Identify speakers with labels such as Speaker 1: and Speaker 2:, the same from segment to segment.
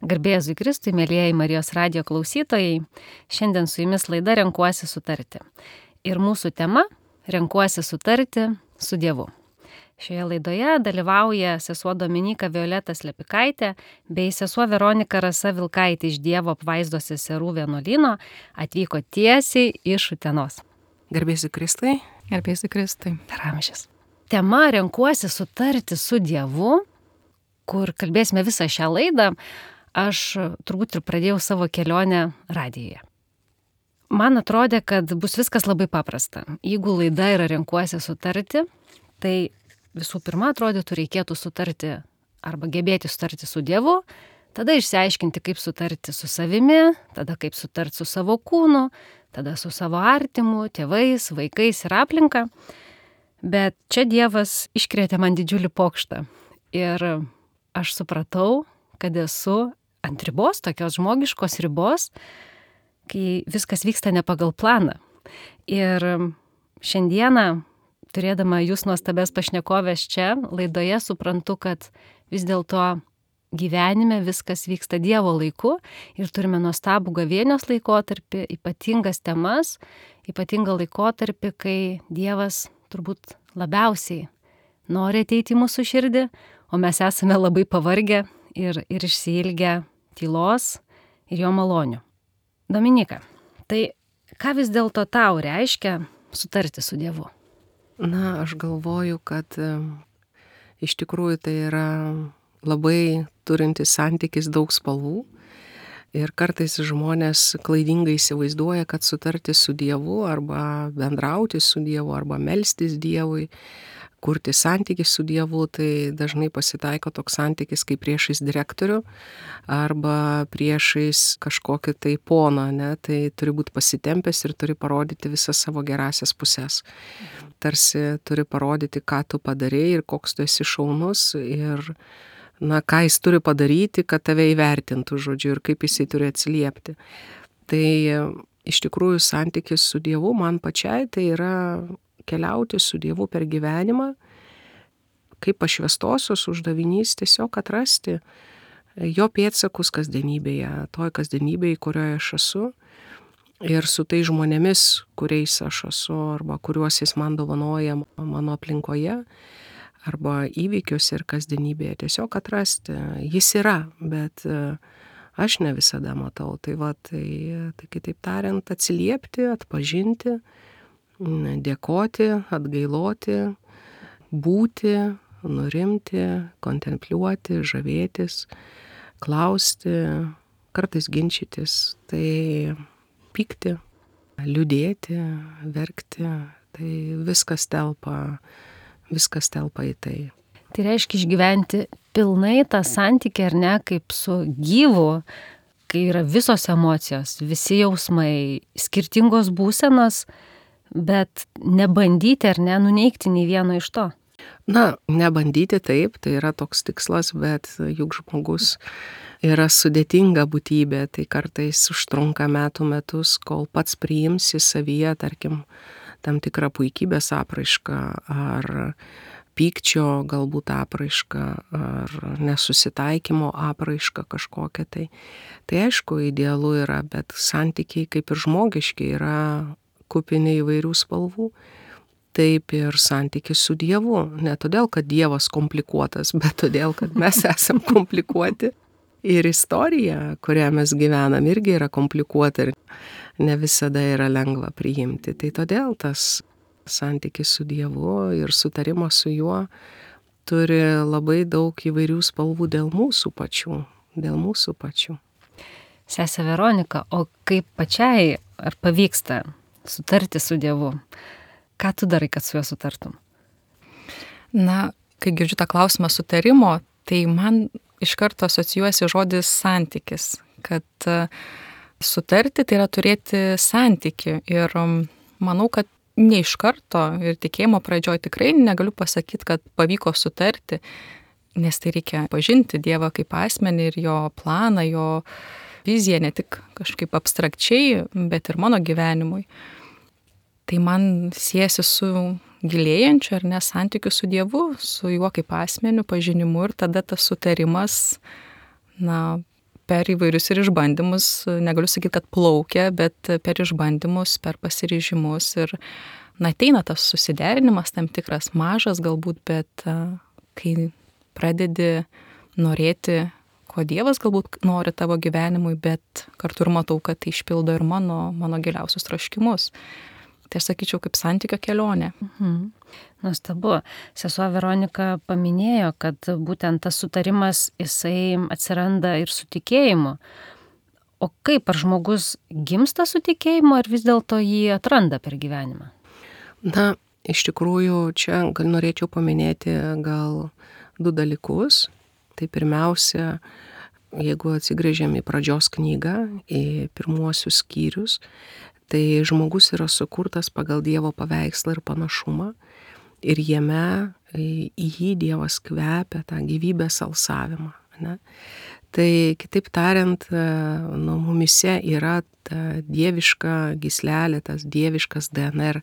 Speaker 1: Garbė Jėzui Kristui, mėlyjeji Marijos radijo klausytojai, šiandien su jumis laida Renkuosi sutarti. Ir mūsų tema – Renkuosi sutarti su Dievu. Šioje laidoje dalyvauja sesuo Dominyka Violeta Slepikaitė bei sesuo Veronika Rasa Vilkaitė iš Dievo apvaizdos seserų vienuolyno, atvyko tiesiai iš Utenos.
Speaker 2: Garbė Jėzui Kristui.
Speaker 3: Garbė Jėzui Kristui.
Speaker 1: Per amžius. Tema Renkuosi sutarti su Dievu, kur kalbėsime visą šią laidą. Aš turbūt ir pradėjau savo kelionę radijoje. Man atrodė, kad bus viskas labai paprasta. Jeigu laida yra Renkuosi sutarti, tai visų pirma, atrodytų, reikėtų sutarti arba gebėti sutarti su Dievu, tada išsiaiškinti, kaip sutarti su savimi, tada kaip sutarti su savo kūnu, tada su savo artimu, tėvais, vaikais ir aplinka. Bet čia Dievas iškrėtė man didžiulį pokštą. Ir aš supratau, kad esu ant ribos, tokios žmogiškos ribos, kai viskas vyksta ne pagal planą. Ir šiandieną, turėdama jūs nuostabės pašnekovės čia, laidoje suprantu, kad vis dėlto gyvenime viskas vyksta Dievo laiku ir turime nuostabų gavėnios laikotarpį, ypatingas temas, ypatingą laikotarpį, kai Dievas turbūt labiausiai nori ateiti į mūsų širdį, o mes esame labai pavargę ir išsiilgę tylos ir jo malonių. Dominyka, tai ką vis dėlto tau reiškia sutarti su Dievu?
Speaker 2: Na, aš galvoju, kad iš tikrųjų tai yra labai turintis santykis daug spalvų ir kartais žmonės klaidingai įsivaizduoja, kad sutarti su Dievu arba bendrauti su Dievu arba melstis Dievui, kurti santykį su Dievu, tai dažnai pasitaiko toks santykis kaip priešais direktorių arba priešais kažkokį tai poną, ne? Tai turi būti pasitempęs ir turi parodyti visas savo gerasias pusės. Tarsi turi parodyti, ką tu padarei ir koks tu esi šaunus ir ką jis turi padaryti, kad tave įvertintų, žodžiu, ir kaip jisai turi atsiliepti. Tai iš tikrųjų santykis su Dievu man pačiai tai yra keliauti su Dievu per gyvenimą, kaip pašvęstosios uždavinys tiesiog atrasti jo pėdsakus kasdienybėje, toj kasdienybėje, kurioje aš esu, ir su tai žmonėmis, kuriais aš esu, arba kuriuos jis man dovanoja mano aplinkoje, arba įvykiuose ir kasdienybėje, tiesiog atrasti. Jis yra, bet aš ne visada matau. Tai kitaip tariant, atsiliepti, atpažinti, dėkoti, atgailoti, būti, nurimti, kontempliuoti, žavėtis, klausti, kartais ginčytis, tai pykti, liūdėti, verkti, tai viskas telpa į tai.
Speaker 1: Tai reiškia išgyventi pilnai tą santykį, ar ne, kaip su gyvu, kai yra visos emocijos, visi jausmai, skirtingos būsenos, bet nebandyti ar ne nuneigti nei vieno iš to.
Speaker 2: Na, nebandyti taip, tai yra toks tikslas, bet juk žmogus yra sudėtinga būtybė, tai kartais užtrunka metus, kol pats priimsi savyje, tarkim, tam tikrą puikybės apraišką ar pykčio galbūt apraišką ar nesusitaikymo apraišką kažkokią tai. Tai aišku, idealu yra, bet santykiai kaip ir žmogiški yra kupini įvairių spalvų, taip ir santykis su Dievu. Ne todėl, kad Dievas komplikuotas, bet todėl, kad mes esam komplikuoti. Ir istorija, kurią mes gyvenam, irgi yra komplikuota ir ne visada yra lengva priimti. Tai todėl tas santykis su Dievu ir sutarimas su juo turi labai daug įvairių spalvų dėl mūsų pačių.
Speaker 1: Sese Veronika, o kaip pačiai ar pavyksta sutarti su Dievu? Ką tu darai, kad su juo sutartum?
Speaker 3: Na, kai girdžiu tą klausimą sutarimo, tai man iš karto asocijuojasi žodis santykis, kad sutarti tai yra turėti santykį ir manau, kad ne iš karto ir tikėjimo pradžioj tikrai negaliu pasakyti, kad pavyko sutarti, nes tai reikia pažinti Dievą kaip asmenį ir jo planą, jo viziją ne tik kažkaip abstrakčiai, bet ir mano gyvenimui. Tai man siejasi su gilėjančiu ar ne santykiu su Dievu, su juo kaip asmeniu, pažinimu ir tada tas sutarimas, per įvairius ir išbandymus, negaliu sakyti, kad plaukia, bet per išbandymus, per pasiryžimus ir ateina tas susiderinimas tam tikras, mažas galbūt, bet kai pradedi norėti, ko Dievas galbūt nori tavo gyvenimui, bet kartu ir matau, kad tai išpildo ir mano giliausius troškimus. Tai aš sakyčiau, kaip santykio kelionė.
Speaker 1: Nuostabu. Sesuo Veronika paminėjo, kad būtent tas sutarimas, jisai atsiranda ir su tikėjimu. O kaip, ar žmogus gimsta su tikėjimu, ar vis dėlto jį atranda per gyvenimą?
Speaker 2: Na, iš tikrųjų, čia norėčiau paminėti gal 2 dalykus. Tai pirmiausia, jeigu atsigręžiam į pradžios knygą, į pirmuosius skyrius, tai žmogus yra sukurtas pagal Dievo paveikslą ir panašumą ir jame į jį Dievas kvepia tą gyvybės alsavimą. Ne? Tai kitaip tariant, mumise yra ta dieviška gyslelė, tas dieviškas DNR,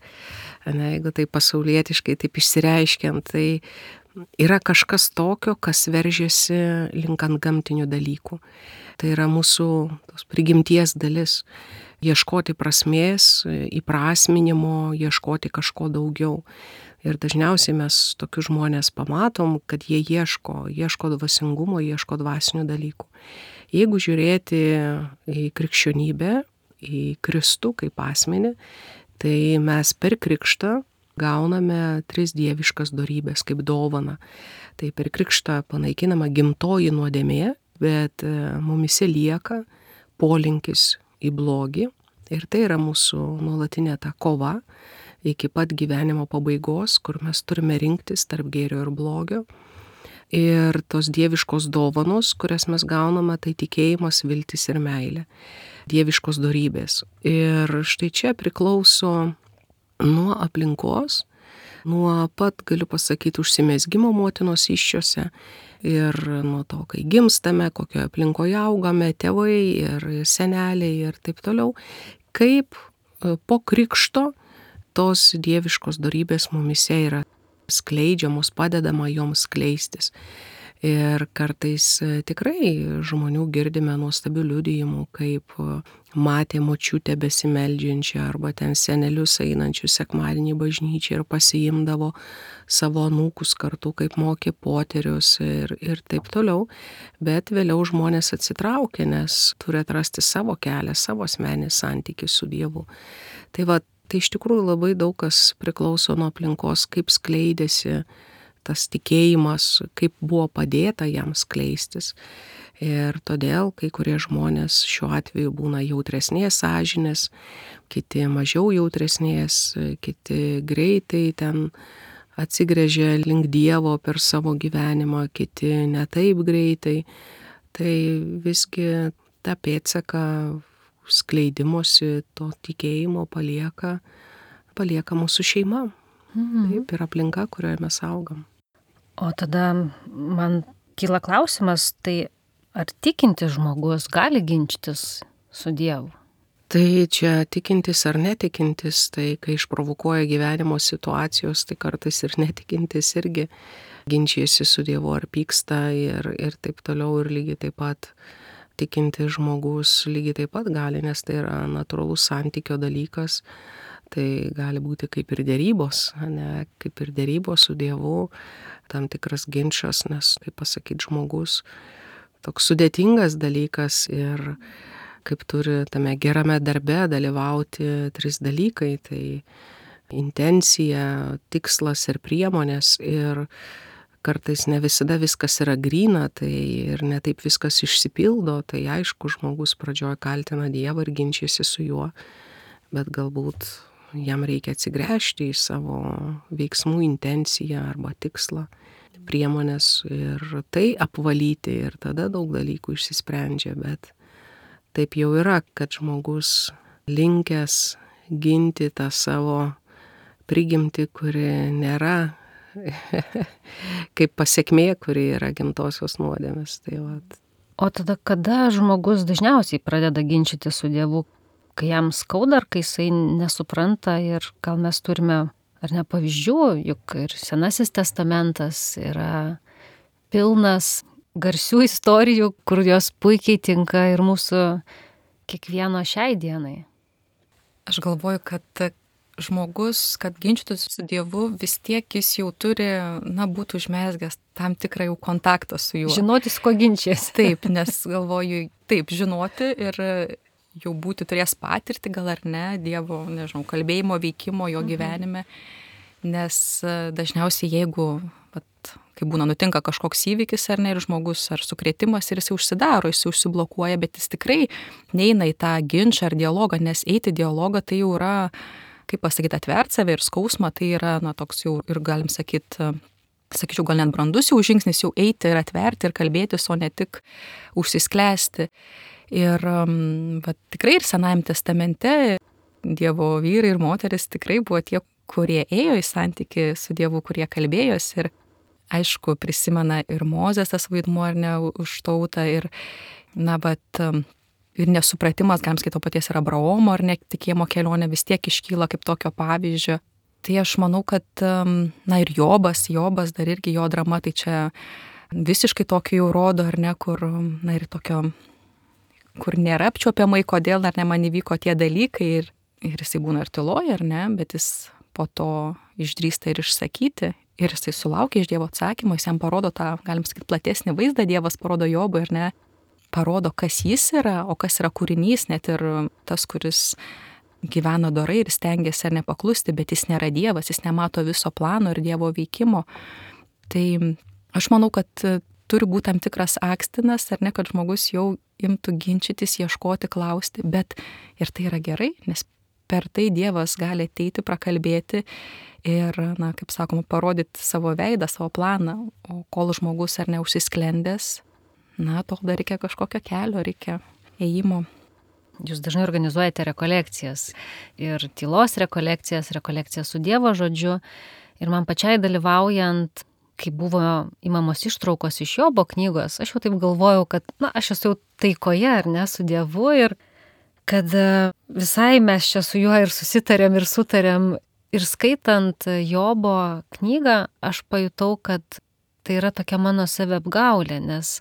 Speaker 2: ne? Jeigu tai pasaulietiškai taip išsireiškiant, tai yra kažkas tokio, kas veržiasi link antgamtinių dalykų. Tai yra mūsų tos prigimties dalis. Ieškoti prasmės, įprasminimo, ieškoti kažko daugiau. Ir dažniausiai mes tokius žmonės pamatom, kad jie ieško dvasingumo, ieško dvasinių dalykų. Jeigu žiūrėti į krikščionybę, į Kristų kaip asmenį, tai mes per krikštą gauname 3 dieviškas dorybės kaip dovaną. Tai per krikštą panaikinama gimtoji nuodėmė, bet mumise lieka polinkis į blogį ir tai yra mūsų nuolatinė ta kova iki pat gyvenimo pabaigos, kur mes turime rinktis tarp gėrio ir blogio. Ir tos dieviškos dovanos, kurias mes gauname, tai tikėjimas, viltis ir meilė. Dieviškos dorybės. Ir štai čia priklauso nuo aplinkos, nuo pat, galiu pasakyti, užsimezgimo motinos įsčiose ir nuo to, kai gimstame, kokioje aplinkoje augame, tėvai ir seneliai ir taip toliau, kaip po krikšto tos dieviškos dorybės mumise yra skleidžiamos, padedama joms skleistis. Ir kartais tikrai žmonių girdime nuostabių liudijimų, kaip matė močiutę besimeldžiančią arba ten senelius einančius sekmadienį bažnyčią ir pasiimdavo savo anūkus kartu, kaip mokė poterius ir taip toliau. Bet vėliau žmonės atsitraukė, nes turi atrasti savo kelią, savo asmenį santykį su Dievu. Tai iš tikrųjų labai daug kas priklauso nuo aplinkos, kaip skleidėsi tas tikėjimas, kaip buvo padėta jam skleistis. Ir todėl kai kurie žmonės šiuo atveju būna jautresnės sąžinės, kiti mažiau jautresnės, kiti greitai ten atsigręžia link Dievo per savo gyvenimą, kiti ne taip greitai. Tai visgi tą pėdsaką skleidimosi to tikėjimo palieka mūsų šeima. Taip, ir aplinka, kurioje mes augam.
Speaker 1: O tada man kyla klausimas, tai ar tikintis žmogus gali ginčytis su Dievu?
Speaker 2: Tai čia tikintis ar netikintis, tai kai išprovokuoja gyvenimo situacijos, tai kartais ir netikintis irgi ginčijasi su Dievu ar pyksta ir taip toliau, ir lygiai taip pat tikintis žmogus lygiai taip pat gali, nes tai yra natūralus santykio dalykas. Tai gali būti kaip ir derybos, ne, kaip ir derybos su Dievu, tam tikras ginčas, nes, kaip pasakyti, žmogus toks sudėtingas dalykas ir kaip turi tame gerame darbe dalyvauti 3 dalykai, tai intencija, tikslas ir priemonės, ir kartais ne visada viskas yra gryna, tai ir ne taip viskas išsipildo, tai aišku, žmogus pradžioje kaltina Dievą ir ginčiasi su juo, bet galbūt jam reikia atsigręžti į savo veiksmų intenciją arba tikslą, priemonės ir tai apvalyti, ir tada daug dalykų išsisprendžia, bet taip jau yra, kad žmogus linkęs ginti tą savo prigimtį, kuri nėra kaip pasekmė, kuri yra gimtosios nuodėmės.
Speaker 1: O tada kada žmogus dažniausiai pradeda ginčyti su Dievu? Kai jam skauda, ar kai jisai nesupranta, ir gal mes turime ar ne pavyzdžių, juk ir Senasis testamentas yra pilnas garsių istorijų, kur jos puikiai tinka ir mūsų kiekvieno šiai dienai.
Speaker 3: Aš galvoju, kad žmogus, kad ginčytųsi su Dievu, vis tiek jis jau turi, būti užmezgęs tam tikrą jau kontaktą su juo.
Speaker 1: Žinoti, su ko ginčiasi.
Speaker 3: Taip, nes galvoju, taip, žinoti ir jau būti turės patirtį, gal ar ne, Dievo, nežinau, kalbėjimo, veikimo jo gyvenime, nes dažniausiai jeigu, kai būna nutinka kažkoks įvykis ar ne, ir žmogus ar sukrėtimas ir jis užsidaro, jis užsiblokuoja, bet jis tikrai neina į tą ginčą ar dialogą, nes eiti dialogą tai jau yra, kaip pasakyti, atvert save ir skausmą, tai yra, toks jau ir galim sakyti, sakyčiau, gal net brandus jau žingsnis, jau eiti ir atverti ir kalbėtis, o ne tik užsisklęsti. Ir tikrai ir Senajame testamente Dievo vyrai ir moteris tikrai buvo tie, kurie ėjo į santykį su Dievu, kurie kalbėjosi ir aišku, prisimena ir Mozės tas vaidmuo, ar ne, už tautą ir, ir nesupratimas, galim skaito paties ir Abraomo, ar ne, tikėjimo kelionė vis tiek iškyla kaip tokio pavyzdžio. Tai aš manau, kad, ir Jobas dar irgi jo drama, tai čia visiškai tokio jau rodo, ar ne, kur, ir tokio, kur nėra apčiuopiamai, kodėl, ar ne, man įvyko tie dalykai ir jisai būna ir tyloja, ar ne, bet jis po to išdrįsta ir išsakyti. Ir jisai sulaukia iš Dievo atsakymo, jis jam parodo tą, galim sakyti, platesnį vaizdą, Dievas parodo Jobui, ar ne, parodo, kas jis yra, o kas yra kūrinys, net ir tas, kuris gyvena dorai ir stengiasi ar nepaklusti, bet jis nėra Dievas, jis nemato viso plano ir Dievo veikimo. Tai aš manau, kad turi būti tam tikras akstinas, ar ne, kad žmogus jau imtų ginčytis, ieškoti, klausti, bet ir tai yra gerai, nes per tai Dievas gali ateiti, prakalbėti ir, kaip sakoma, parodyti savo veidą, savo planą, o kol žmogus ar neužsisklendęs, tol dar reikia kažkokio kelio, reikia ėjimo.
Speaker 1: Jūs dažnai organizuojate rekolekcijas ir tylos rekolekcijas su Dievo žodžiu ir man pačiai dalyvaujant, kai buvo imamos ištraukos iš Jobo knygos, aš jau taip galvojau, kad, aš esu jau taikoje, ar ne, su Dievu ir kad visai mes čia su juo ir susitarėm ir sutarėm. Ir skaitant Jobo knygą, aš pajutau, kad tai yra tokia mano saviapgaulė, nes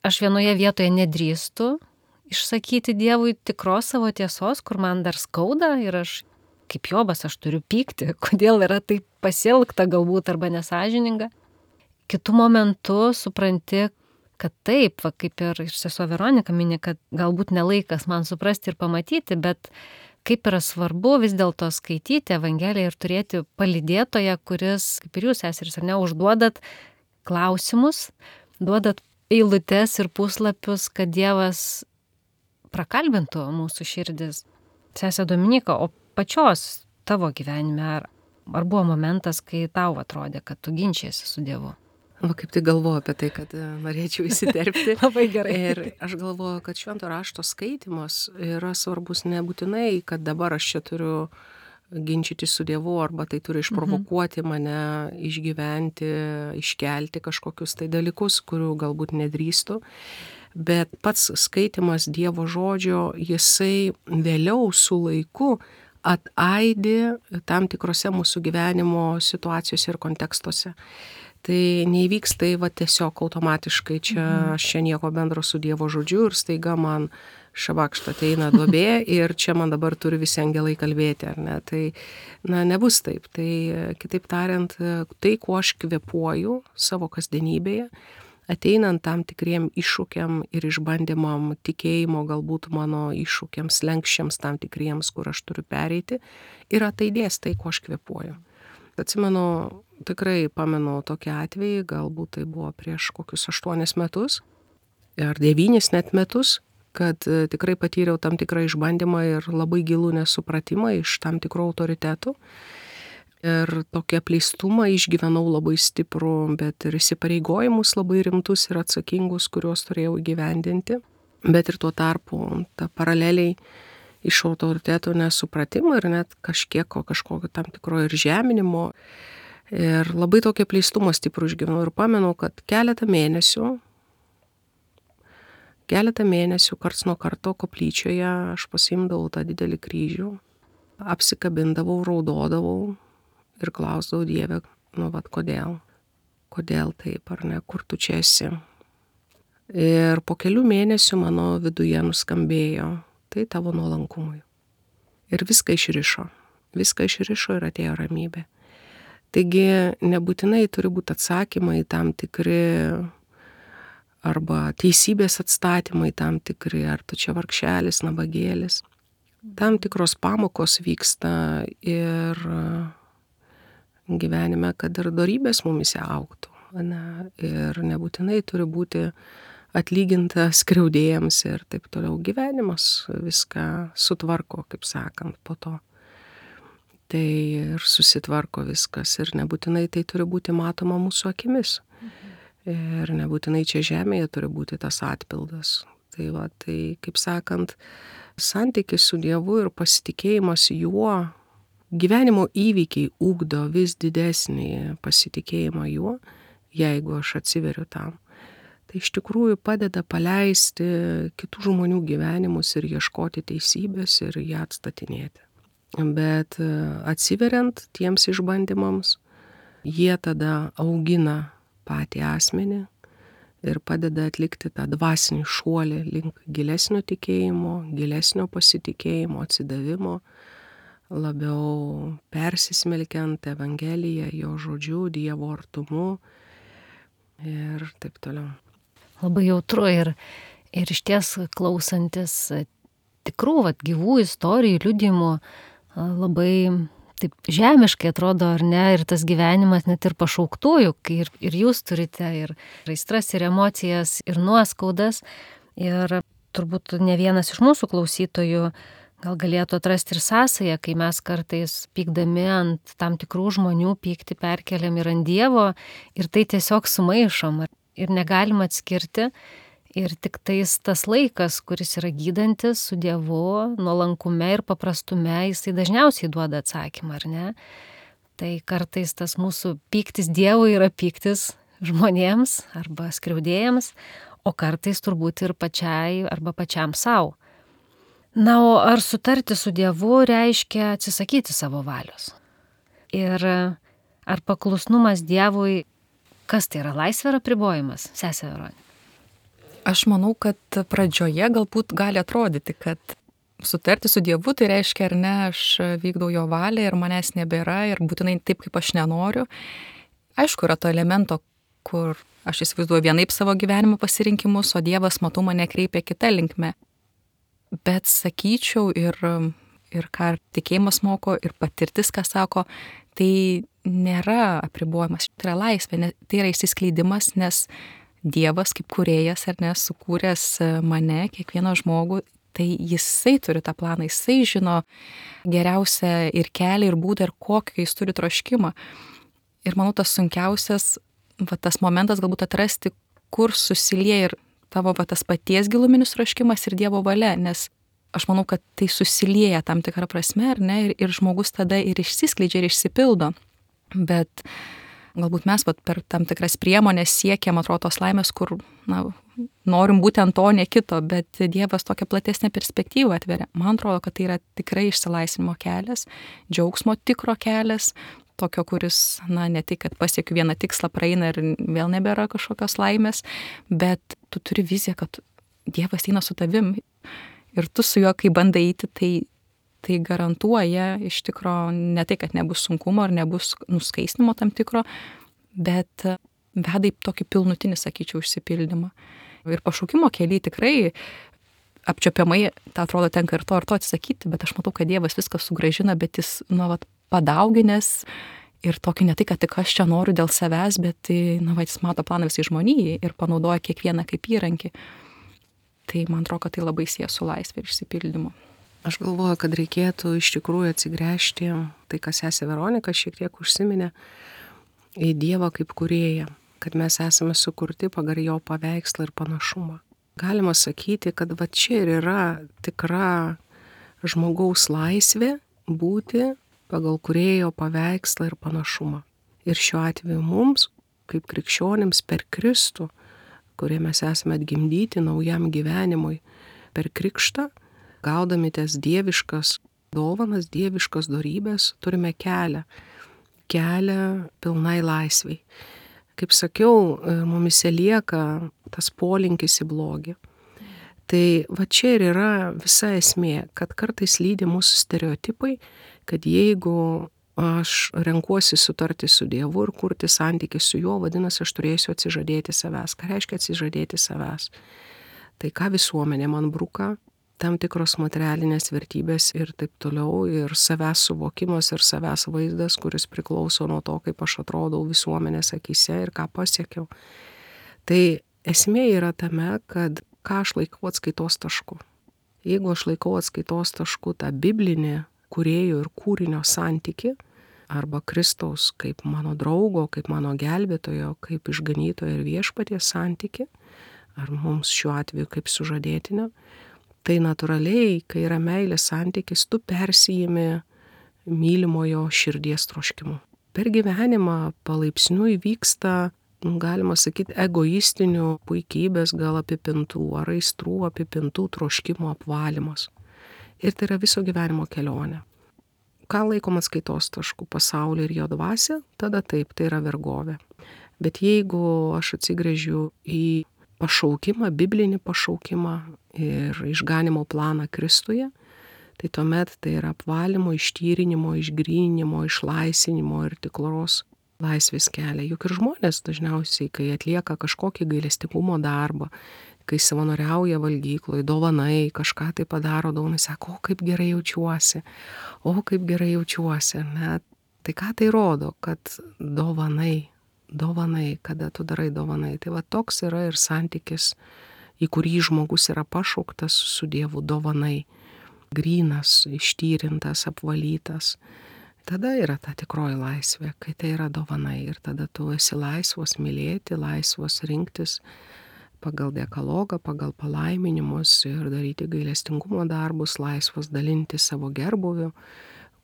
Speaker 1: aš vienoje vietoje nedrįstu išsakyti Dievui tikros savo tiesos, kur man dar skauda ir aš, kaip Jobas, aš turiu pykti, kodėl yra taip pasielgta galbūt arba nesąžininga. Kitu momentu supranti, kad taip, kaip ir sesuo Veronika mini, kad galbūt nelaikas man suprasti ir pamatyti, bet kaip yra svarbu vis dėlto skaityti Evangeliją ir turėti palydėtoją, kuris, kaip ir jūs, seserys, ar ne, užduodat klausimus, duodat eilutes ir puslapius, kad Dievas prakalbintų mūsų širdis. Sesė Dominika, o pačios tavo gyvenime, ar buvo momentas, kai tau atrodė, kad tu ginčiesi su Dievu?
Speaker 2: Kaip tik galvoju apie tai, kad norėčiau įsiterpti.
Speaker 1: Labai gerai.
Speaker 2: Ir aš galvoju, kad švento rašto skaitimas yra svarbus nebūtinai, kad dabar aš čia turiu ginčyti su Dievu, arba tai turi išprovokuoti mane, išgyventi, iškelti kažkokius tai dalykus, kurių galbūt nedrįstu. Bet pats skaitimas Dievo žodžio, jisai vėliau su laiku ataidi tam tikrose mūsų gyvenimo situacijose ir kontekstuose. Tai neįvyks tai tiesiog automatiškai, aš čia nieko bendro su Dievo žodžiu ir staiga man šabakšt ateina duobė ir čia man dabar turi visi angelai kalbėti, ar ne? Tai, nebus taip. Tai, kitaip tariant, tai, kuo aš kvėpuoju savo kasdienybėje, ateinant tam tikriem iššūkiam ir išbandymam, tikėjimo galbūt mano iššūkiams, lenkščiams tam tikriems, kur aš turiu pereiti, ir ataidės tai, kuo aš kvėpuoju. Atsimenu, tikrai pamenu tokį atvejį, galbūt tai buvo prieš kokius 8 metus, ar 9 net metus, kad tikrai patyriau tam tikrą išbandymą ir labai gilų nesupratimą iš tam tikrų autoritetų. Ir tokį apleistumą išgyvenau labai stiprų, bet ir įsipareigojimus labai rimtus ir atsakingus, kuriuos turėjau įgyvendinti. Bet ir tuo tarpu ta paraleliai iš autoritetų nesupratimo ir net kažkokio tam tikro ir žeminimo. Ir labai tokį apleistumą stiprų išgyvenau ir pamenu, kad keletą mėnesių karts nuo karto koplyčioje aš pasiimdavau tą didelį kryžių, apsikabindavau, raudodavau ir klausdavau Dievę, kodėl taip, ar ne, kur tu čia esi, Ir po kelių mėnesių mano viduje nuskambėjo, tai tavo nuolankumui. Ir viską išrišo ir atėjo ramybė. Taigi nebūtinai turi būti atsakymai tam tikri arba teisybės atstatymai tam tikri, ar tu čia vargšelis, nabagėlis. Tam tikros pamokos vyksta ir gyvenime, kad ir dorybės mumise augtų. Ir nebūtinai turi būti atlyginta skriaudėjams ir taip toliau. Gyvenimas viską sutvarko, kaip sakant, po to. Tai ir susitvarko viskas ir nebūtinai tai turi būti matoma mūsų akimis. Ir nebūtinai čia žemėje turi būti tas atpildas. Tai kaip sakant, santykis su Dievu ir pasitikėjimas juo, gyvenimo įvykiai ugdo vis didesnį pasitikėjimą juo, jeigu aš atsiveriu tam. Tai iš tikrųjų padeda paleisti kitų žmonių gyvenimus ir ieškoti teisybės ir ją atstatinėti. Bet atsiveriant tiems išbandymams, jie tada augina patį asmenį ir padeda atlikti tą dvasinį šuolį link gilesnio tikėjimo, gilesnio pasitikėjimo, atsidavimo, labiau persismelkiant Evangeliją, jo žodžiu, Dievo artumu ir taip toliau.
Speaker 1: Labai jautru ir išties klausantis tikrų gyvų istorijų, liudijimų, labai taip žemiškai atrodo, ar ne, ir tas gyvenimas net ir pašauktųjų, kai ir jūs turite ir aistras, ir emocijas, ir nuoskaudas. Ir turbūt ne vienas iš mūsų klausytojų gal galėtų atrasti ir sąsają, kai mes kartais pykdami ant tam tikrų žmonių pyktį perkeliam ir ant Dievo, ir tai tiesiog sumaišom ir negalim atskirti. Ir tik tais tas laikas, kuris yra gydantis su Dievu, nuolankume ir paprastume, jisai dažniausiai duoda atsakymą, ar ne? Tai kartais tas mūsų pyktis Dievui yra pyktis žmonėms arba skriaudėjams, o kartais turbūt ir pačiai arba pačiam savo. Na, o ar sutarti su Dievu reiškia atsisakyti savo valios? Ir ar paklusnumas Dievui, kas tai yra, laisvė ar apribojimas, sesė Veronika?
Speaker 3: Aš manau, kad pradžioje galbūt gali atrodyti, kad sutarti su Dievu tai reiškia, ar ne, aš vykdau jo valią ir manęs nebėra ir būtinai taip, kaip aš nenoriu. Aišku, yra to elemento, kur aš įsivaizduoju vienaip savo gyvenimo pasirinkimus, o Dievas, matau, mane kreipia kita linkme. Bet sakyčiau ir ką tikėjimas moko, ir patirtis, ką sako, tai nėra apribojimas, tai yra laisvė, tai yra išsiskleidimas, nes Dievas kaip kūrėjas, ar ne, sukūręs mane, kiekvieną žmogų, tai jisai turi tą planą, jisai žino geriausią ir kelią, ir būdą, ir kokį jis turi troškimą. Ir manau, tas sunkiausias, tas momentas galbūt atrasti, kur susilieja ir tavo tas paties giluminis troškimas ir Dievo valia, nes aš manau, kad tai susilieja tam tikrą prasme, ar ne, ir žmogus tada ir išsiskleidžia ir išsipildo. Bet galbūt mes per tam tikras priemonės siekiam, atrodo, tos laimės, kur norim būtent to, ne kito, bet Dievas tokią platesnę perspektyvą atveria. Man atrodo, kad tai yra tikrai išsilaisvinimo kelias, džiaugsmo tikro kelias, tokio, kuris, ne tik, kad pasiekiu vieną tikslą, praeina ir vėl nebėra kažkokios laimės, bet tu turi viziją, kad Dievas eina su tavim ir tu su juo, kai bandai eiti, tai garantuoja iš tikro ne tai, kad nebus sunkumo ar nebus nuskaistinimo tam tikro, bet veda į tokį pilnutinį, sakyčiau, išsipildymą. Ir pašaukimo keliai tikrai apčiopiamai, tai atrodo, tenka ir to atsisakyti, bet aš matau, kad Dievas viską sugrąžina, bet jis, padauginęs ir tokį ne tai, kad tik aš čia noriu dėl savęs, bet jis mato planą visai žmonijai ir panaudoja kiekvieną kaip įrankį. Tai man atrodo, kad tai labai sieja su laisvė ir išsipildymu.
Speaker 2: Aš galvoju, kad reikėtų iš tikrųjų atsigręžti, tai kas sesė Veronika šiek tiek užsiminė, į Dievą kaip kūrėją, kad mes esame sukurti pagal jo paveikslą ir panašumą. Galima sakyti, kad čia ir yra tikra žmogaus laisvė būti pagal kūrėjo paveikslą ir panašumą. Ir šiuo atveju mums, kaip krikščionims per Kristų, kurie mes esame atgimdyti naujam gyvenimui per krikštą, gaudami tas dieviškas dovanas, dieviškas dorybės, turime kelią pilnai laisvei. Kaip sakiau, mumise lieka tas polinkis į blogį. Tai va čia ir yra visa esmė, kad kartais lydi mūsų stereotipai, kad jeigu aš renkuosi sutarti su Dievu ir kurti santykį su juo, vadinasi, aš turėsiu atsižadėti savęs. Ką reiškia atsižadėti savęs? Tai ką visuomenė man bruka, tam tikros materialinės vertybės ir taip toliau, ir savęs suvokimas ir savęs vaizdas, kuris priklauso nuo to, kaip aš atrodau visuomenės akyse ir ką pasiekiau. Tai esmė yra tame, kad ką aš laikau atskaitos tašku. Jeigu aš laikau atskaitos tašku tą biblinį kūrėjo ir kūrinio santyki, arba Kristaus kaip mano draugo, kaip mano gelbėtojo, kaip išganytojo ir viešpaties santyki, ar mums šiuo atveju kaip sužadėtinio, tai natūraliai, kai yra meilės santykis, tu persijimi mylimojo širdies troškimu. Per gyvenimą palaipsniui vyksta, galima sakyti, egoistinių puikybės gal apipintų ar aistrų apipintų troškimo apvalymas. Ir tai yra viso gyvenimo kelionė. Ką laikom atskaitos tašku? Pasaulį ir jo dvasią? Tada taip, tai yra vergovė. Bet jeigu aš atsigręžiu į pašaukimą, biblinį pašaukimą ir išganimo planą Kristuje, tai tuomet tai yra apvalymo, ištyrinimo, išgryninimo, išlaisvinimo ir tikros laisvės kelią. Juk ir žmonės dažniausiai, kai atlieka kažkokį gailestingumo darbą, kai savanoriauja valgykloj, dovanai, kažką tai padaro, dovanai sako, o kaip gerai jaučiuosi, ne? Tai ką tai rodo, kad dovanai, kada tu darai dovanai. Tai va toks yra ir santykis, į kurį žmogus yra pašauktas su Dievu, dovanai. Grynas, ištyrintas, apvalytas. Tada yra ta tikroji laisvė, kai tai yra dovanai. Ir tada tu esi laisvas mylėti, laisvas rinktis pagal dekalogą, pagal palaiminimus ir daryti gailestingumo darbus, laisvas dalinti savo gerbuviu,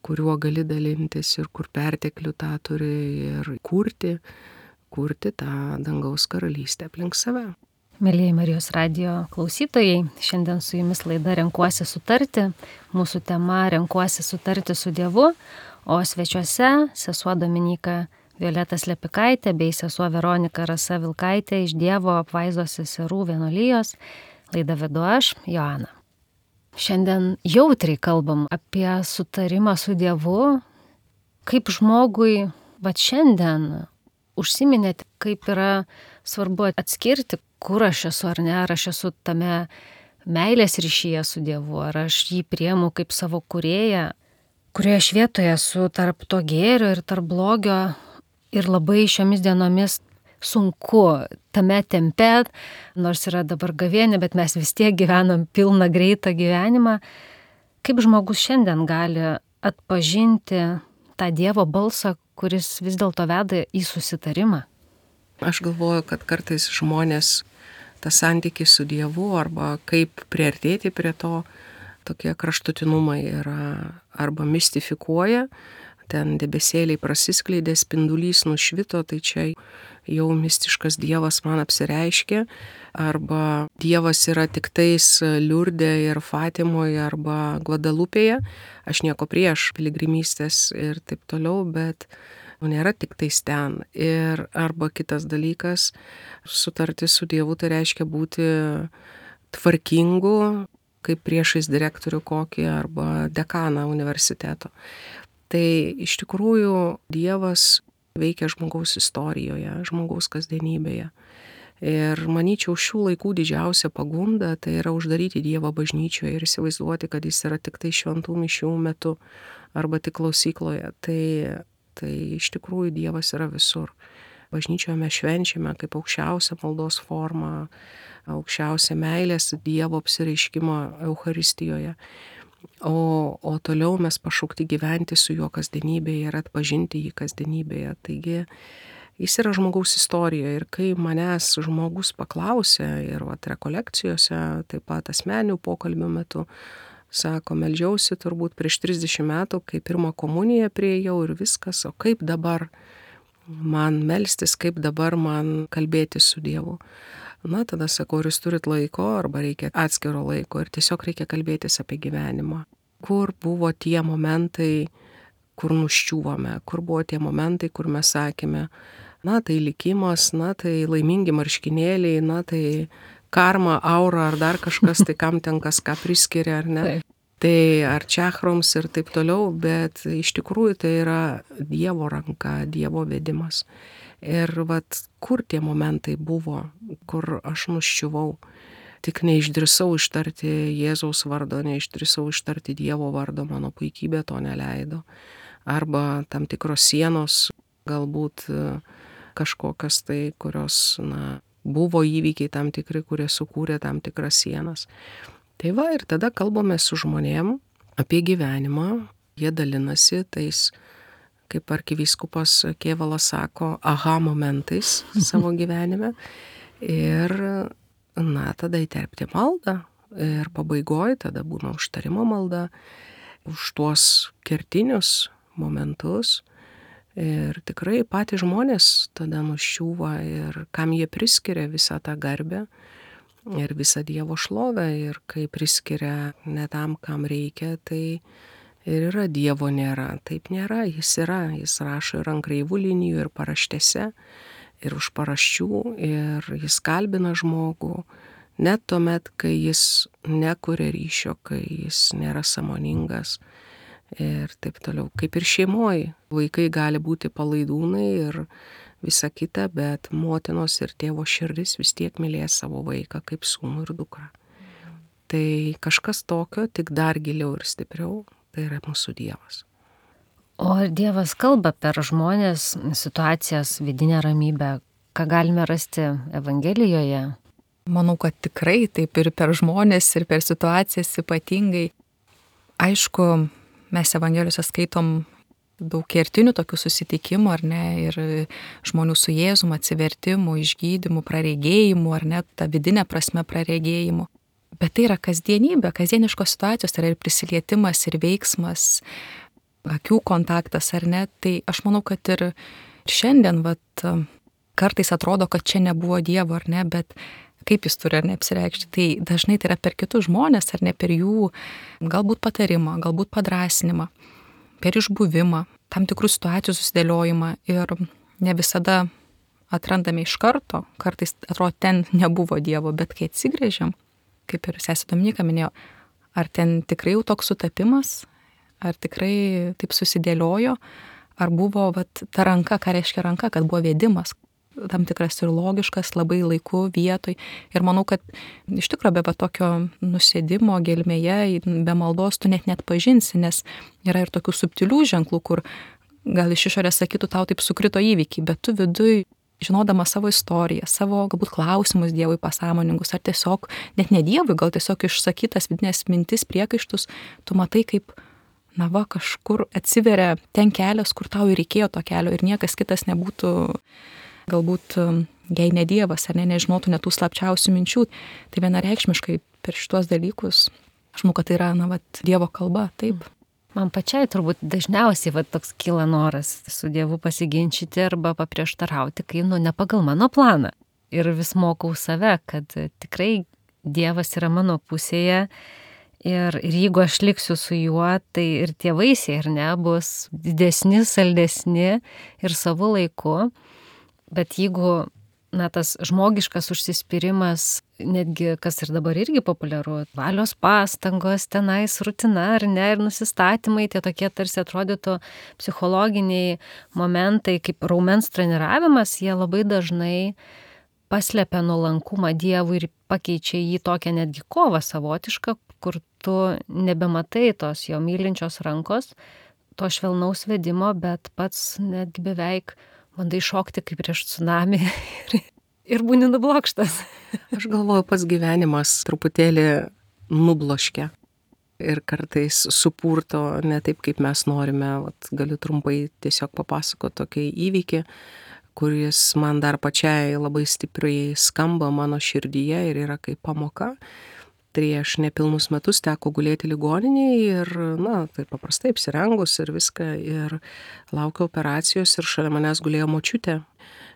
Speaker 2: kuriuo gali dalintis ir kur perteklių tą turi ir kurti tą dangaus karalystę aplink save.
Speaker 1: Mėlyjei Marijos radijo klausytojai, šiandien su jumis laida Renkuosi sutarti. Mūsų tema Renkuosi sutarti su Dievu, o svečiuose sesuo Dominyka Violeta Slepikaitė bei sesuo Veronika Rasa Vilkaitė iš Dievo apvaizdos seserų vienuolijos. Laidą vedu aš, Joana. Šiandien jautriai kalbam apie sutarimą su Dievu, kaip žmogui, bet šiandien užsiminėte, kaip yra svarbu atskirti, kur aš esu ar ne, ar aš esu tame meilės ryšyje su Dievu, ar aš jį priemu kaip savo kūrėją, kurioje aš vietoje esu tarp to gėrio ir tarp blogio ir labai šiomis dienomis sunku tame tempe, nors yra dabar gavėnė, bet mes vis tiek gyvenam pilną greitą gyvenimą. Kaip žmogus šiandien gali atpažinti tą Dievo balsą, kuris vis dėlto veda į susitarimą?
Speaker 2: Aš galvoju, kad kartais žmonės tą santykį su Dievu arba kaip priartėti prie to, tokie kraštutinumai yra arba mistifikuoja, ten debesėliai prasiskleidė, spindulys nušvito, tai čia jau mistiškas Dievas man apsireiškė, arba Dievas yra tik tais Liurde ir Fatimoje arba Gvadalupėje. Aš nieko prieš piligrimystės ir taip toliau, bet nėra tik tais ten. Ir arba kitas dalykas, sutarti su Dievu, tai reiškia būti tvarkingu, kaip priešais direktorių kokį arba dekaną universiteto. Tai iš tikrųjų Dievas veikia žmogaus istorijoje, žmogaus kasdienybėje. Ir manyčiau, šių laikų didžiausia pagunda tai yra uždaryti Dievą bažnyčioje ir įsivaizduoti, kad jis yra tik tai šventų mišių metu arba tik klausykloje. Tai iš tikrųjų Dievas yra visur. Bažnyčioje mes švenčiame kaip aukščiausią maldos formą, aukščiausią meilės Dievo apsireiškimą Eucharistijoje. O toliau mes pašaukti gyventi su juo kasdienybėje ir atpažinti jį kasdienybėje. Taigi jis yra žmogaus istorijoje ir kai manęs žmogus paklausė ir rekolekcijose, taip pat asmeninių pokalbių metu, sako, meldžiausi turbūt prieš 30 metų, kai pirmą komuniją priėjau ir viskas, o kaip dabar man melstis, kaip dabar man kalbėti su Dievu. Na, tada sakau, ar jūs turit laiko, arba reikia atskiro laiko ir tiesiog reikia kalbėtis apie gyvenimą. Kur buvo tie momentai, kur nuščiūvome, kur buvo tie momentai, kur mes sakėme, na tai likimas, na tai laimingi marškinėliai, na tai karma, aura ar dar kažkas, tai kam ten kas ką priskiria, ar ne.
Speaker 1: Taip.
Speaker 2: Tai ar čakroms ir taip toliau, bet iš tikrųjų tai yra Dievo ranka, Dievo vedimas. Ir vat kur tie momentai buvo, kur aš nuščiuvau, tik neišdrįsau ištarti Jėzaus vardo, neišdrįsau ištarti Dievo vardo, mano puikybė to neleido. Arba tam tikros sienos, galbūt kažkokios tai, kurios, na, buvo įvykiai tam tikri, kurie sukūrė tam tikras sienas. Tai va, ir tada kalbame su žmonėm apie gyvenimą, jie dalinasi tais, kaip arkivyskupas Kėvalas sako, aha momentais savo gyvenime. Ir, na, tada įterpti maldą. Ir pabaigoje tada būna užtarimo malda už tuos kertinius momentus. Ir tikrai patys žmonės tada nuščiūva ir kam jie priskiria visą tą garbę ir visą Dievo šlovę. Ir kai priskiria ne tam, kam reikia, tai ir yra Dievo nėra. Taip nėra, jis yra. Jis rašo ir ant kreivų linijų, ir paraštėse, ir už paraščių, ir jis kalbina žmogų. Net tuomet, kai jis nekuria ryšio, kai jis nėra sąmoningas. Ir taip toliau. Kaip ir šeimoje. Vaikai gali būti palaidūnai ir visa kita, bet motinos ir tėvo širdis vis tiek mylės savo vaiką kaip sūnų ir dukrą. Tai kažkas tokio, tik dar giliau ir stipriau, tai yra mūsų Dievas.
Speaker 1: O ar Dievas kalba per žmonės, situacijas, vidinę ramybę, ką galime rasti Evangelijoje?
Speaker 3: Manau, kad tikrai taip ir per žmonės, ir per situacijas ypatingai. Aišku, mes Evangelijose skaitom daug kertinių tokių susitikimų, ar ne, ir žmonių su Jėzum, atsivertimų, išgydymų, praregėjimų, ar ne, ta vidinė prasme praregėjimų. Bet tai yra kasdienybė, kasdieniškos situacijos, tai yra ir prisilietimas, ir veiksmas, akių kontaktas, ar ne. Tai aš manau, kad ir šiandien, vat, kartais atrodo, kad čia nebuvo Dievo, ar ne, bet kaip jis turi, ar ne, apsireikšti. Tai dažnai tai yra per kitus žmonės, ar ne, per jų galbūt patarimą, galbūt padrąsinimą, per išbuvimą, tam tikrų situacijų susidėliojimą ir ne visada atrandame iš karto, kartais atrodo, ten nebuvo Dievo, bet kai atsigrėžiam, kaip ir sesė Dominika minėjo, ar ten tikrai jau toks sutapimas, ar tikrai taip susidėliojo, ar buvo vat, ta ranka, ką reiškia ranka, kad buvo vedimas, tam tikras ir logiškas, labai laiku, vietoj. Ir manau, kad iš tikrųjų be tokio nusėdimo gelmėje, be maldos tu net pažinsi, nes yra ir tokių subtilių ženklų, kur gal iš išorės sakytų tau taip sukrito įvykiai, bet tu viduj, žinodama savo istoriją, savo galbūt klausimus Dievui pasąmoningus, ar tiesiog, net ne Dievui, gal tiesiog išsakytas vidinės mintis, priekaištus, tu matai, kaip, na va, kažkur atsiveria ten kelias, kur tau ir reikėjo to kelio ir niekas kitas nebūtų galbūt, jei ne Dievas, ar ne, nežinotų net tų slapčiausių minčių. Tai vienareikšmiškai per šitos dalykus, aš manau, kad tai yra, na, vat, Dievo kalba, taip.
Speaker 1: Man pačiai turbūt dažniausiai vat, toks kyla noras su Dievu pasiginčyti arba paprieštarauti, kai, ne pagal mano planą. Ir vis mokau save, kad tikrai Dievas yra mano pusėje. Ir jeigu aš liksiu su juo, tai ir tie vaisiai, ar ne, bus didesni, saldesni ir savo laiku. Bet jeigu, na, tas žmogiškas užsispyrimas, netgi, kas ir dabar irgi populiaru, valios pastangos, tenais rutina, ar ne, ir nusistatymai, tie tokie tarsi atrodytų psichologiniai momentai, kaip raumens treniravimas, jie labai dažnai paslepia nuolankumą Dievui ir pakeičia jį tokią netgi kovą savotišką, kur tu nebematai tos jo mylinčios rankos, to švelnaus vedimo, bet pats netgi beveik bandai šokti kaip prieš tsunami ir būni nublokštas.
Speaker 2: Aš galvoju, pats gyvenimas truputėlį nubloškia ir kartais supurto ne taip, kaip mes norime. Vat, galiu trumpai tiesiog papasakoti tokį įvykį, kuris man dar pačiai labai stipriai skamba mano širdyje ir yra kaip pamoka. Prieš nepilnus metus teko gulėti ligoninėje ir, na, tai paprastai apsirengus ir viską, ir laukiau operacijos ir šalia manęs gulėjo močiutė,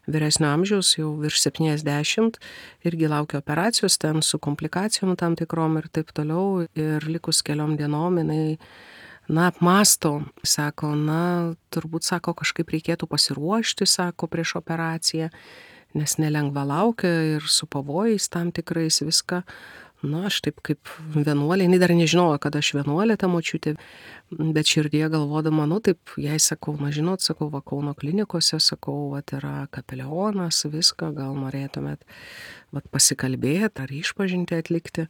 Speaker 2: vyresnio amžiaus, jau virš 70, irgi laukia operacijos ten su komplikacijom tam tikrom ir taip toliau, ir likus keliom dienom jinai, apmąsto, sako, turbūt, sako, kažkaip reikėtų pasiruošti, sako, prieš operaciją, nes nelengva laukia ir su pavojais tam tikrais viską. Aš taip kaip vienuolė, jinai dar nežinojo, kad aš vienuolė ta močiutė, bet širdie galvodama, taip, jai sakau, žinot, sakau, va Kauno klinikose, sakau, va yra kapelionas, viską, gal norėtumėt pasikalbėti ar išpažinti atlikti.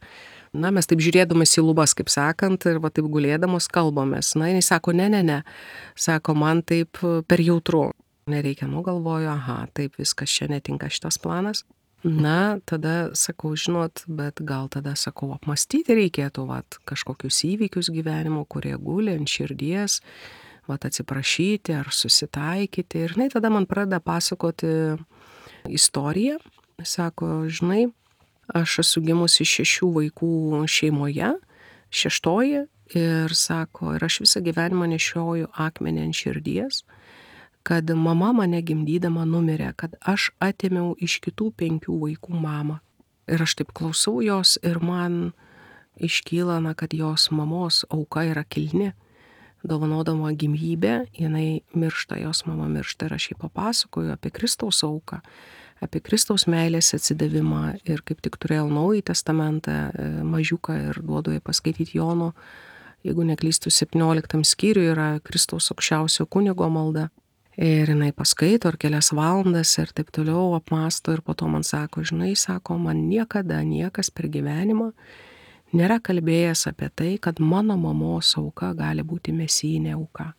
Speaker 2: Mes taip žiūrėdamas į lubas, kaip sakant, ir va taip gulėdamos kalbamės. Jinai sako, ne, sako, man taip per jautru. Nereikia, galvoju, taip, viskas čia netinka šitas planas. Tada sakau, žinot, bet gal tada, sakau, apmastyti reikėtų, kažkokius įvykius gyvenimo, kurie guli ant širdies, atsiprašyti ar susitaikyti. Ir jinai tada man pradeda pasakoti istoriją. Sako, žinai, aš esu gimusi 6 vaikų šeimoje, 6, ir sako, ir aš visą gyvenimą nešioju akmenį ant širdies, kad mama mane gimdydama numirė, kad aš atėmiau iš kitų 5 vaikų mamą. Ir aš taip klausau jos ir man iškyla, kad jos mamos auka yra kilni. Dovanodama gimybę, jinai miršta, jos mama miršta, ir aš jai papasakoju apie Kristaus auką, apie Kristaus meilės atsidavimą, ir kaip tik turėjau Naująjį testamentą mažiuką ir duodu jai paskaityti Jono, jeigu neklystu, 17 skyriui yra Kristaus aukščiausio kunigo malda. Ir jinai paskaito ir kelias valandas ir taip toliau apmąsto, ir po to man sako, žinai, sako, man niekada niekas per gyvenimą nėra kalbėjęs apie tai, kad mano mamos auka gali būti mesijinė auka.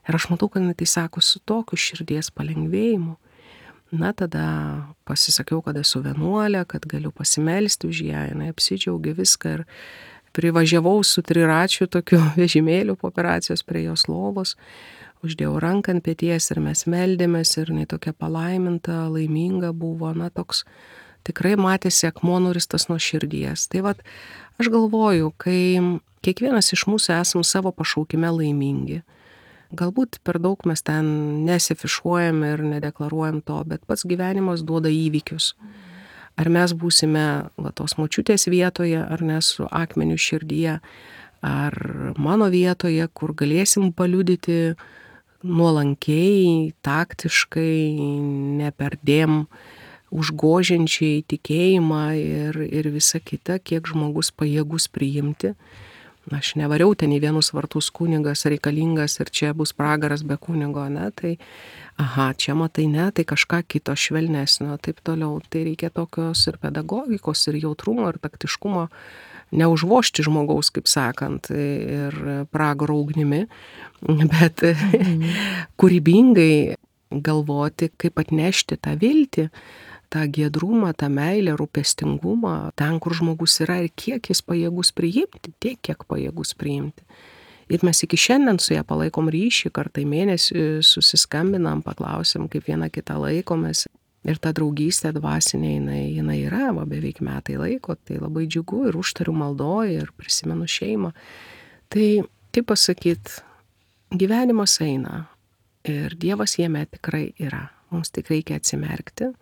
Speaker 2: Ir aš matau, kad jinai tai sako su tokiu širdies palengvėjimu. Tada pasisakiau, kad esu vienuolė, kad galiu pasimelsti už ją, jinai apsidžiaugė viską ir privažiavau su 3-račiu tokiu vežimėliu po operacijos prie jos lovos. Uždėjau ranką ant peties ir mes meldėmės, ir jinai tokia palaiminta, laiminga buvo, toks tikrai matėsi akmuo nuristas nuo širdies. Tai aš galvoju, kai kiekvienas iš mūsų esam savo pašaukime laimingi, galbūt per daug mes ten nesifišuojam ir nedeklaruojam to, bet pats gyvenimas duoda įvykius. Ar mes būsime tos močiutės vietoje, ar ne su akmeniu širdyje, ar mano vietoje, kur galėsim paliudyti nuolankiai, taktiškai, neperdėm užgožiančiai tikėjimą ir visa kita, kiek žmogus pajėgus priimti. Aš nevariau ten į vienus vartus kunigas reikalingas ir čia bus pragaras be kunigo, tai čia matai ne, tai kažką kito švelnesnio, taip toliau. Tai reikia tokios ir pedagogikos, ir jautrumo, ir taktiškumo, neužvožti žmogaus, kaip sakant, ir pragaro ugnimi, bet kūrybingai galvoti, kaip atnešti tą viltį, tą giedrumą, tą meilę, rūpestingumą, ten, kur žmogus yra ir kiek jis pajėgus priimti, tiek, kiek pajėgus priimti. Ir mes iki šiandien su ją palaikom ryšį, kartą į mėnesį susiskambinam, paklausim, kaip viena kitą laikomės. Ir ta draugystė dvasinė, jinai yra, beveik metai laiko, tai labai džiugu, ir užtariu maldoje, ir prisimenu šeimą. Tai, kaip pasakyt, gyvenimas eina ir Dievas jame tikrai yra. Mums tik reikia atsimerkti,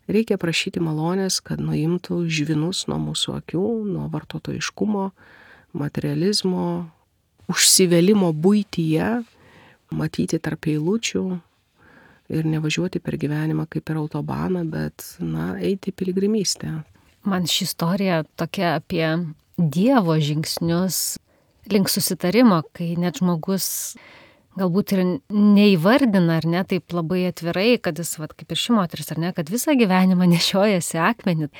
Speaker 2: reikia prašyti malonės, kad nuimtų žvinus nuo mūsų akių, nuo vartotojiškumo, materializmo, užsivėlimo buityje, matyti tarp eilučių, ir nevažiuoti per gyvenimą kaip per autobaną, bet, eiti piligrimystę.
Speaker 1: Man ši istorija tokia apie Dievo žingsnius link susitarimo, kai net žmogus galbūt ir neįvardina, ar ne, taip labai atvirai, kad jis, kaip ir ši moteris, ar ne, kad visą gyvenimą nešiojasi akmenį.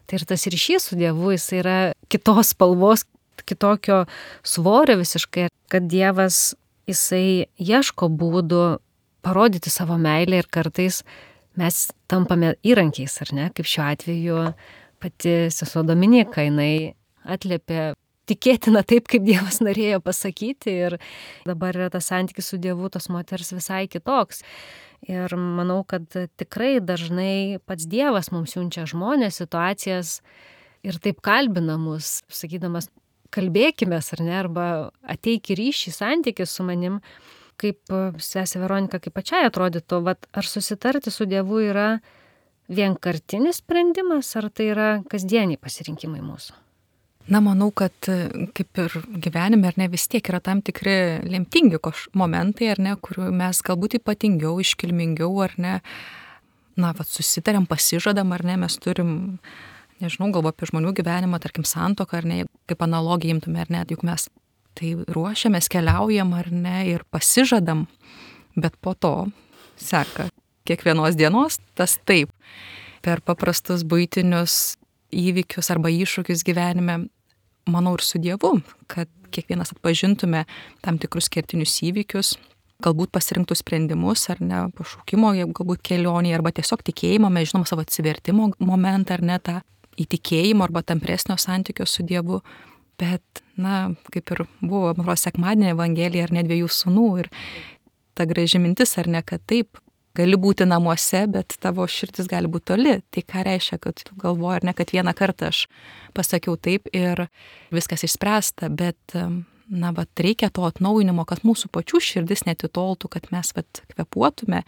Speaker 1: Tai ir tas ryšys su Dievu, jis yra kitos spalvos, kitokio svorio visiškai, kad Dievas, jisai ieško būdų parodyti savo meilę, ir kartais mes tampame įrankiais, ar ne, kaip šiuo atveju pati sesuo Dominika, jinai atliepė tikėtina taip, kaip Dievas norėjo pasakyti, ir dabar yra tas santykis su Dievu tos moters visai kitoks. Ir manau, kad tikrai dažnai pats Dievas mums siunčia žmonės, situacijas ir taip kalbina mus, sakydamas, kalbėkimės, ar ne, arba ateik į ryšį, santykį su manim. Kaip sesė Veronika, kaip pačiai atrodytų, ar susitarti su Dievu yra vienkartinis sprendimas, ar tai yra kasdieniai pasirinkimai mūsų?
Speaker 3: Na, manau, kad kaip ir gyvenime, ar ne, vis tiek yra tam tikri lemtingi momentai, ar ne, kuriuo mes galbūt ypatingiau, iškilmingiau, ar ne, na, susitarėm, pasižadam, ar ne, mes turim, nežinau, galvo apie žmonių gyvenimą, tarkim, santuoką, ar ne, kaip analogiją imtume, ar ne, juk mes tai ruošiamės, keliaujam, ar ne, ir pasižadam, bet po to seka kiekvienos dienos tas taip. Per paprastus buitinius įvykius arba iššūkius gyvenime, manau, ir su Dievu, kad kiekvienas atpažintume tam tikrus kertinius įvykius, galbūt pasirinktų sprendimus ar ne, pašaukimo, galbūt kelionį, arba tiesiog tikėjimo, mes žinom savo atsivertimo momentą ar ne, tą įtikėjimo arba tampresnio santykio su Dievu. Bet, na, kaip ir buvo, man atrodo, sekmadienio evangelija ar ne 2 sūnų ir ta graži mintis ar ne, kad taip, gali būti namuose, bet tavo širdis gali būti toli. Tai ką reiškia, kad tu galvoji, ar ne, kad vieną kartą aš pasakiau taip ir viskas išspręsta, bet, na, reikia to atnaujinimo, kad mūsų pačių širdis netitoltų, kad mes kvėpuotume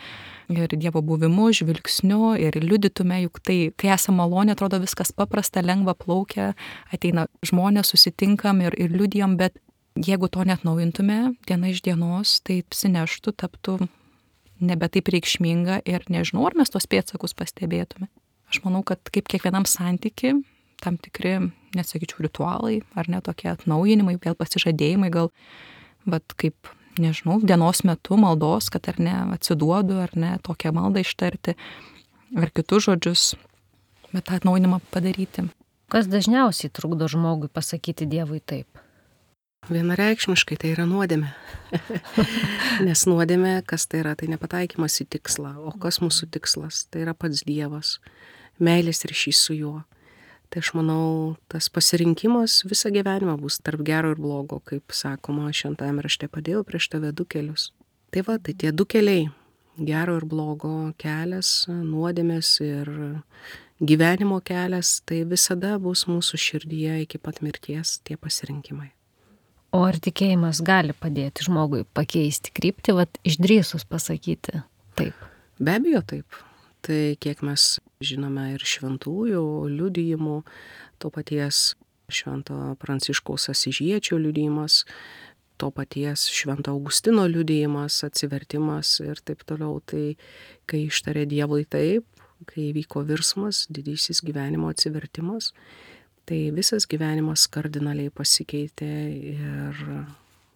Speaker 3: ir Dievo buvimu, žvilgsniu ir liudytume, juk tai, kai esame malonė, atrodo viskas paprasta, lengva plaukia, ateina žmonės, susitinkam ir liudijam, bet jeigu to neatnaujintume diena iš dienos, tai apsineštų, taptų nebe taip reikšminga ir nežinau, ar mes tos pėdsakus pastebėtume. Aš manau, kad kaip kiekvienam santyki, tam tikri, nesakyčiau, ritualai, ar ne tokie atnaujinimai, vėl pasižadėjimai, gal, kaip, nežinau, dienos metu maldos, kad ar ne atsiduodu, ar ne tokią maldą ištarti, ar kitus žodžius, bet tą atnaujinimą padaryti.
Speaker 1: Kas dažniausiai trukdo žmogui pasakyti Dievui taip?
Speaker 2: Vienareikšmiškai tai yra nuodėmė. Nes nuodėmė, kas tai yra, tai nepataikymas į tikslą. O kas mūsų tikslas? Tai yra pats Dievas, meilės ryšys su juo. Tai aš manau, tas pasirinkimas visą gyvenimą bus tarp gero ir blogo, kaip sakoma, šventajame rašte padėjau prieš tave 2 kelius. Tai tai tie 2 keliai, gero ir blogo kelias, nuodėmės ir gyvenimo kelias, tai visada bus mūsų širdyje iki pat mirties tie pasirinkimai.
Speaker 1: O ar tikėjimas gali padėti žmogui pakeisti kryptį, išdrįsus pasakyti taip?
Speaker 2: Be abejo taip. Tai kiek mes žinome ir šventųjų liudijimų, to paties švento Pranciškaus Asyžiečio liudijimas, to paties švento Augustino liudijimas, atsivertimas ir taip toliau. Tai kai ištarė Dievui taip, kai įvyko virsmas, didysis gyvenimo atsivertimas, tai visas gyvenimas kardinaliai pasikeitė ir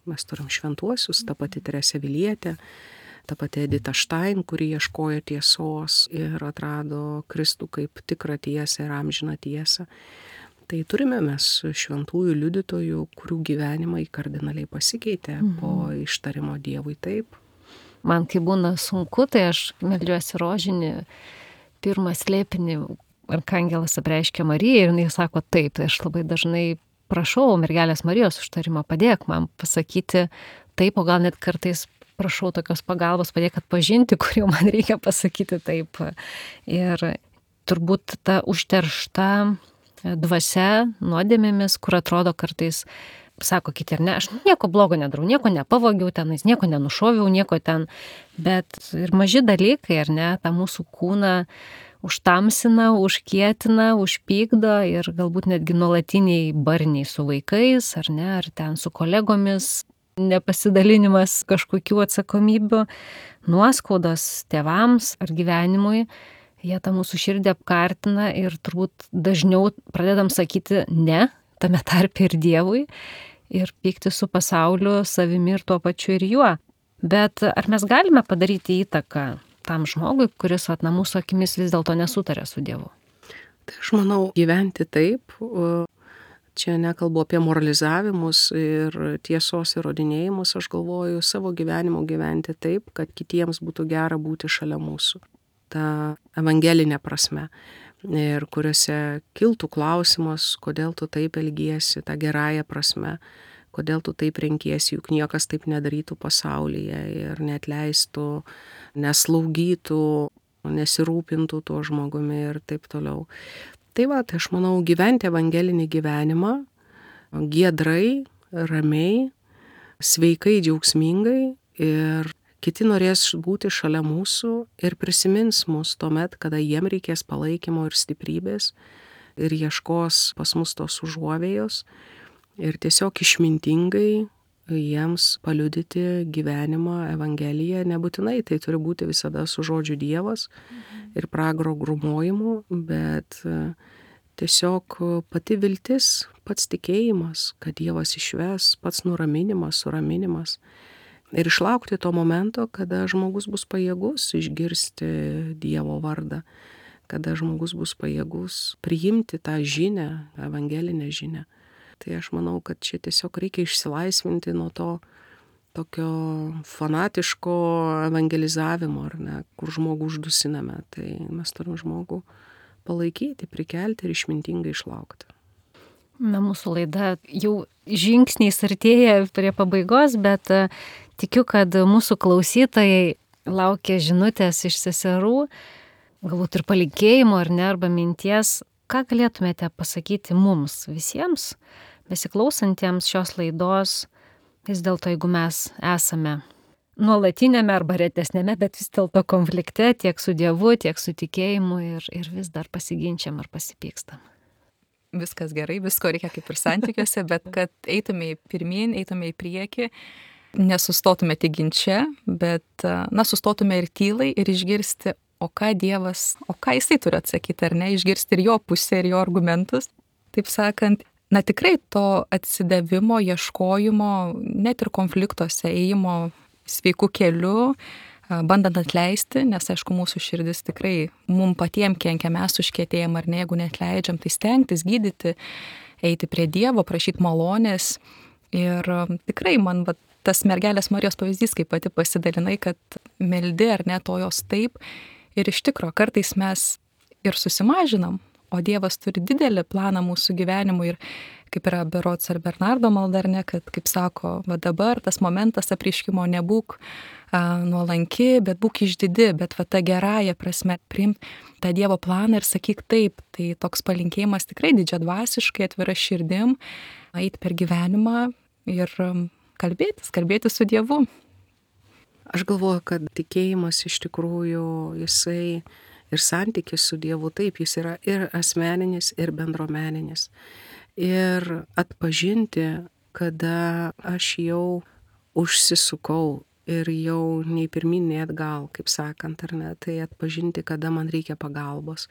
Speaker 2: mes turim šventuosius, ta pati Teresė Avilietė, ta pati Edita Štain, kuri ieškojo tiesos ir atrado Kristų kaip tikrą tiesą ir amžiną tiesą. Tai turime mes šventųjų liudytojų, kurių gyvenimai kardinaliai pasikeitė po ištarimo Dievui taip.
Speaker 1: Man kai būna sunku, tai aš meldžiuosi rožinį, pirmą slėpinį, Arkangelas apreiškia Marijai ir jinai sako taip. Tai aš labai dažnai prašau mergelės Marijos užtarimo, padėk man pasakyti taip, o gal net kartais prašau tokios pagalbos, padėk atpažinti, kur jau man reikia pasakyti taip. Ir turbūt ta užteršta dvasia nuodėmėmis, kur atrodo kartais, sako kiti, ar ne, aš nieko blogo nedarau, nieko nepavogiau tenais, nieko nenušoviau, nieko ten, bet ir maži dalykai, ar ne, tą mūsų kūną užtamsina, užkietina, užpykdo ir galbūt netgi nuolatiniai barniai su vaikais, ar ne, ar ten su kolegomis, nepasidalinimas kažkokių atsakomybių, nuoskaudos tėvams ar gyvenimui, jie tą mūsų širdį apkartina ir turbūt dažniau pradedam sakyti ne, tame tarpe ir Dievui, ir pykti su pasauliu, savimi ir tuo pačiu ir juo. Bet ar mes galime padaryti įtaką tam žmogui, kuris mūsų akimis vis dėlto nesutarė su Dievu?
Speaker 2: Tai aš manau, gyventi taip, čia nekalbu apie moralizavimus ir tiesos įrodinėjimus, aš galvoju savo gyvenimo gyventi taip, kad kitiems būtų gera būti šalia mūsų. Ta evangelinė prasme. Ir kuriuose kiltų klausimas, kodėl tu taip elgiesi, ta gerąją prasme, kodėl tu taip renkiesi, juk niekas taip nedarytų pasaulyje ir neatleistų, neslaugytų, nesirūpintų tuo žmogumi ir taip toliau. Tai tai aš manau, gyventi evangelinį gyvenimą giedrai, ramiai, sveikai, džiaugsmingai ir kiti norės būti šalia mūsų ir prisimins mus tuomet, kada jiem reikės palaikymo ir stiprybės ir ieškos pas mus tos užuovėjos ir tiesiog išmintingai jiems paliudyti gyvenimą, Evangeliją. Nebūtinai tai turi būti visada su žodžiu Dievas ir pragaro grūmojimu, bet tiesiog pati viltis, pats tikėjimas, kad Dievas išves, pats nuraminimas, suraminimas. Ir išlaukti to momento, kada žmogus bus pajėgus išgirsti Dievo vardą, kada žmogus bus pajėgus priimti tą žinią, evangelinę žinią. Tai aš manau, kad čia tiesiog reikia išsilaisvinti nuo to tokio fanatiško evangelizavimo, ar ne, kur žmogų uždusiname. Tai mes turim žmogų palaikyti, prikelti ir išmintingai išlaukti.
Speaker 1: Na, mūsų laida jau žingsniais artėja prie pabaigos, bet tikiu, kad mūsų klausytojai laukia žinutės iš seserų, galbūt ir palinkėjimo, ar ne, arba minties. Ką galėtumėte pasakyti mums visiems, besiklausantiems šios laidos, vis dėlto, jeigu mes esame nuolatinėme arba retesnėme, bet vis dėlto konflikte tiek su Dievu, tiek su tikėjimu ir vis dar pasiginčiam ar pasipykstam.
Speaker 3: Viskas gerai, visko reikia kaip ir santykiuose, bet kad eitume pirmyn, eitume į priekį, nesustotume tik ginče, bet sustotume ir tylai ir išgirsti, o ką Dievas, o ką Jisai turi atsakyti, ar ne, išgirsti ir jo pusę, ir jo argumentus. Taip sakant, tikrai to atsidavimo, ieškojimo, net ir konfliktuose, ėjimo sveikų kelių, bandant atleisti, nes aišku, mūsų širdis tikrai mum patiem kenkia, mes užkietėjom, ar ne, jeigu neatleidžiam, tai stengtis, gydyti, eiti prie Dievo, prašyti malonės. Ir tikrai man tas mergelės Marijos pavyzdys, kaip pati pasidalinai, kad meldi, ar ne, to jos taip. Ir iš tikro, kartais mes ir susimažinam, o Dievas turi didelį planą mūsų gyvenimui. Ir kaip yra berods ar Bernardo malda, ar ne, kad, kaip sako, dabar tas momentas apreiškimo nebūk nuolanki, bet būk išdidi, bet ta gerąja prasme priimk tą Dievo planą ir sakyk taip. Tai toks palinkėjimas tikrai didžiadvasiškai, atvira širdim, eiti per gyvenimą ir kalbėtis su Dievu.
Speaker 2: Aš galvoju, kad tikėjimas iš tikrųjų jisai ir santykis su Dievu, taip, jis yra ir asmeninis, ir bendruomeninis. Ir atpažinti, kada aš jau užsisukau ir jau nei pirmyn, nei atgal, kaip sakant, ar ne, tai atpažinti, kada man reikia pagalbos.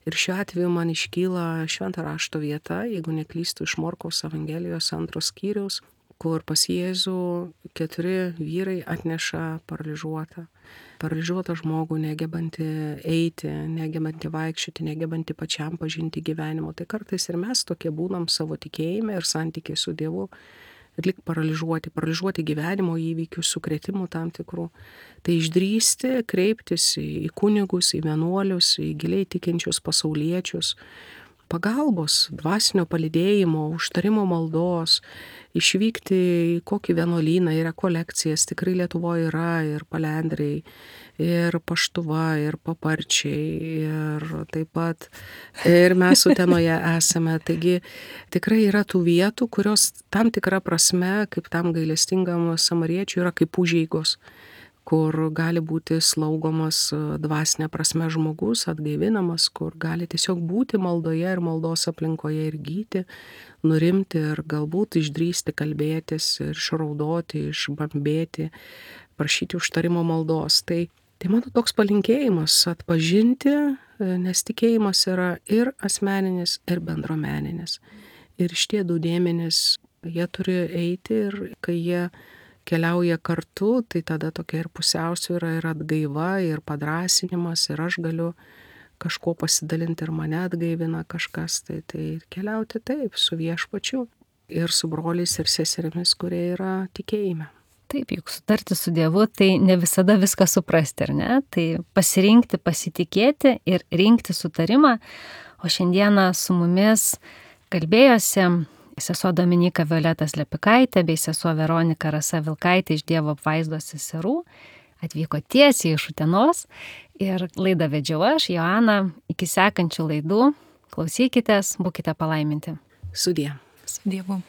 Speaker 2: Ir šiuo atveju man iškyla Švento rašto vieta, jeigu neklystu, iš Morkaus Evangelijos 2 skyriaus, kur pas Jėzų 4 vyrai atneša paralyžiuotą žmogų, negebantį eiti, negebantį vaikščioti, negebantį pačiam pažinti gyvenimo. Tai kartais ir mes tokie būnam savo tikėjime ir santykiai su Dievu, lyg paralyžiuoti gyvenimo įvykių, sukrėtimų tam tikrų. Tai išdrįsti, kreiptis į kunigus, į vienuolius, į giliai tikinčius pasauliečius, pagalbos, dvasinio palydėjimo, užtarimo maldos, išvykti į kokį vienuolyną, į rekolekcijas, tikrai Lietuvoje yra ir Palendriai, ir Paštuva, ir Paparčiai, ir taip pat ir mes Utenoje esame. Taigi tikrai yra tų vietų, kurios tam tikra prasme, kaip tam gailestingam samariečiui, yra kaip užeigos, kur gali būti slaugomas dvasinė prasme žmogus, atgaivinamas, kur gali tiesiog būti maldoje ir maldos aplinkoje ir gyti, nurimti ir galbūt išdrįsti kalbėtis ir išraudoti, išbambėti, prašyti užtarimo maldos. Tai mano toks palinkėjimas atpažinti, nes tikėjimas yra ir asmeninis, ir bendruomeninis. Ir šitie du dėmenys, jie turi eiti ir kai jie keliauja kartu, tai tada tokia ir pusiausvyra, ir atgaiva, ir padrąsinimas, ir aš galiu kažko pasidalinti ir mane atgaivina kažkas, tai keliauti taip su Viešpačiu ir su broliais ir seserimis, kurie yra tikėjime.
Speaker 1: Taip, juk sutarti su Dievu, tai ne visada viską suprasti, ar ne? Tai pasirinkti, pasitikėti ir rinkti sutarimą. O šiandieną su mumis kalbėjosi sesuo Dominyka Violeta Slepikaitė bei sesuo Veronika Rasa Vilkaitė iš Dievo apvaizdos seserų. Atvyko tiesiai iš Utenos ir laidą vedžiau aš, Joana. Iki sekančių laidų klausykitės, būkite palaiminti.
Speaker 2: Sudie.
Speaker 3: Su Dievu.